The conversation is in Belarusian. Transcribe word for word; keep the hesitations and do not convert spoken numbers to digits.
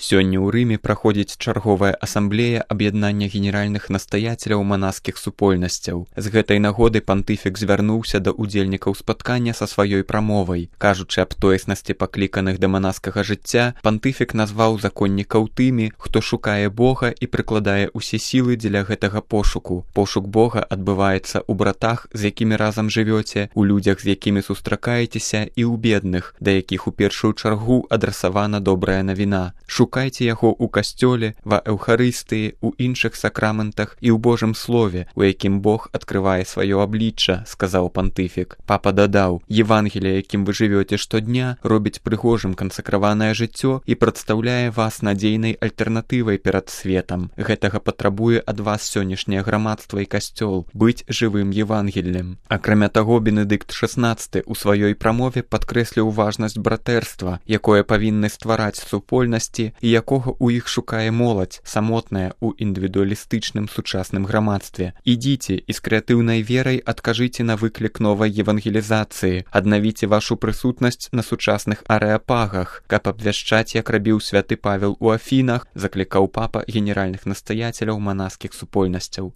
Сёння ў Рыме праходзіць чарговая асамблея аб'яднання генеральных настаяцеляў манаскіх супольнасцяў. З гэтай нагоды пантыфік звярнуўся да удзельнікаў спаткання са сваёй прамовай. Кажучы аб тоеснасці пакліканых да манаскага жыцця, пантыфік назваў законнікаў тымі, хто шукае Бога і прыкладае ўсе сілы дзеля гэтага пошуку. Пошук Бога адбываецца ў братах, з якімі разам жывёце, у людзях, з якімі сустракаецеся, і ў бедных, да якіх у першую чаргу адрасавана добрая навіна. Шукайце яго ў касцёле, ва эўхарыстыі, у іншых сакраментах і ў Божым слове, у якім Бог адкрывае сваё аблічча, сказаў пантыфік. Папа дадаў: Евангелие, якім вы жывёце штодня, робіць прыгожым кансакраванае жыццё і прадстаўляе вас надзейнай альтэрнатывай перад светам. Гэтага патрабуе ад вас сённяшняе грамадства і касцёл, быць жывым Евангеллем. Акрамя таго, Бенедыкт шаснаццаты ў сваёй прамове падкрэсліў важнасць братэрства, якое павінны ствараць супольнасці і якога ў іх шукае моладзь, самотная ў індывідуалістычным сучасным грамадстве. Ідзіце і з крэатыўнай верай адкажыце на выклік новай евангелізацыі, аднавіце вашу прысутнасць на сучасных арэапагах, каб абвяшчаць, як рабіў святы Павел у Афінах, заклікаў папа генеральных настаяцеляў манаскіх супольнасцяў.